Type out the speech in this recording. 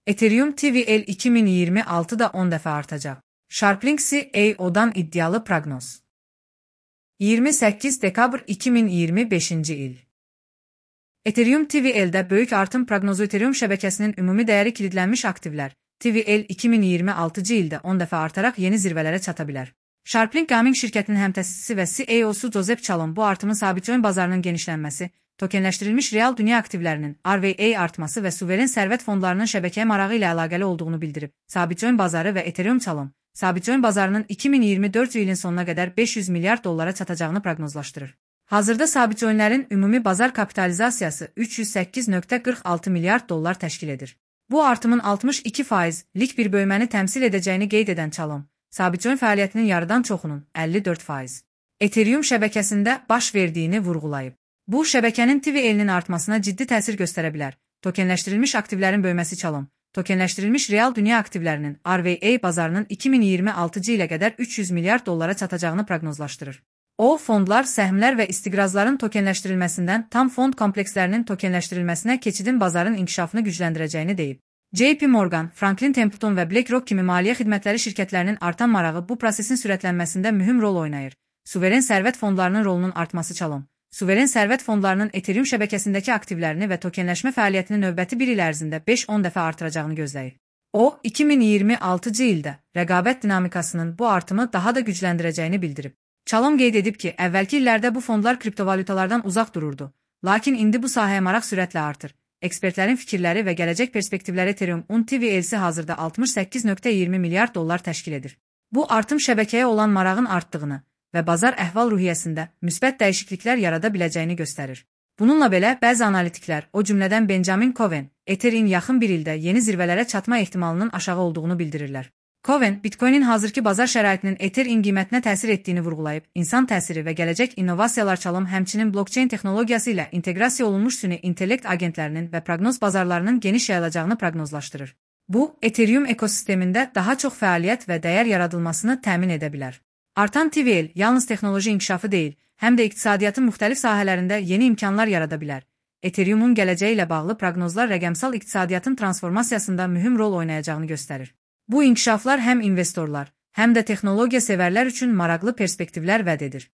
Ethereum TVL 2026'da 10 dəfə artacaq. Sharplink CEO'dan iddialı proqnoz. 28 dekabr 2025-ci il. Ethereum TVL'də böyük artım proqnozu. Ethereum şəbəkəsinin ümumi dəyəri kilidlənmiş aktivlər TVL 2026-cı ildə 10 dəfə artaraq yeni zirvələrə çata bilər. Sharplink Gaming şirkətinin həmtəsisçisi və CEO'su Joseph Chalom bu artımın sabitcoin bazarının genişlənməsi, tokenləşdirilmiş real dünya aktivlərinin RWA artması və suveren sərvət fondlarının şəbəkəyə marağı ilə əlaqəli olduğunu bildirib. Sabitcoin bazarı və Ethereum Chalom, sabitcoin bazarının 2024 ilin sonuna qədər 500 milyard dollara çatacağını proqnozlaşdırır. Hazırda sabitcoinlərin ümumi bazar kapitalizasiyası 308,46 milyard dollar təşkil edir. Bu artımın 62%lik bir bölməni təmsil edəcəyini qeyd edən Chalom, sabitcoin fəaliyyətinin yarıdan çoxunun 54% Ethereum şəbəkəsində baş verdiyini vurğulayıb. Bu, şəbəkənin TVL-nin artmasına ciddi təsir göstərə bilər. Tokenləşdirilmiş aktivlərin böyüməsi Chalom, tokenləşdirilmiş real dünya aktivlərinin RWA bazarının 2026-cı ilə qədər 300 milyard dollara çatacağını proqnozlaşdırır. O, fondlar, səhmlər və istiqrazların tokenləşdirilməsindən tam fond komplekslərinin tokenləşdirilməsinə keçidin bazarın inkişafını gücləndirəcəyini deyib. JP Morgan, Franklin Templeton və BlackRock kimi maliyyə xidmətləri şirkətlərinin artan marağı bu prosesin sürətlənməsində mühüm rol oynayır. Suveren sərvət fondlarının rolunun artması Chalom, suveren sərvət fondlarının Ethereum şəbəkəsindəki aktivlərini və tokenləşmə fəaliyyətini növbəti bir il ərzində 5-10 dəfə artıracağını gözləyir. O, 2026-cı ildə rəqabət dinamikasının bu artımı daha da gücləndirəcəyini bildirib. Chalom qeyd edib ki, əvvəlki illərdə bu fondlar kriptovalyutalardan uzaq dururdu, lakin indi bu sahəyə maraq sürətlə artır. Ekspertlərin fikirləri və gələcək perspektivləri Ethereum TVL-si hazırda 68,20 milyard dollar təşkil edir. Bu artım şəbəkəyə olan marağın artdığını və bazar əhval-ruhiyyəsində müsbət dəyişikliklər yarada biləcəyini göstərir. Bununla belə, bəzi analitiklər, o cümlədən Benjamin Cohen, Ethereum yaxın bir ildə yeni zirvələrə çatma ehtimalının aşağı olduğunu bildirirlər. Cohen, Bitcoin'in hazırki bazar şəraitinin Ethereum qiymətinə təsir etdiyini vurğulayıb, insan təsiri və gələcək innovasiyalar Chalom həmçinin blockchain texnologiyası ilə inteqrasiya olunmuş süni intellekt agentlərinin və proqnoz bazarlarının geniş yayılacağını proqnozlaşdırır. Bu, Ethereum ekosistemində daha çox fəaliyyət və dəyər yaradılmasını təmin edə bilər. Artan TVL yalnız texnoloji inkişafı deyil, həm də iqtisadiyyatın müxtəlif sahələrində yeni imkanlar yarada bilər. Ethereum'un gələcəyi ilə bağlı proqnozlar rəqəmsal iqtisadiyyatın transformasiyasında mühüm rol oynayacağını göstərir. Bu inkişaflar həm investorlar, həm də texnologiya sevərlər üçün maraqlı perspektivlər vəd edir.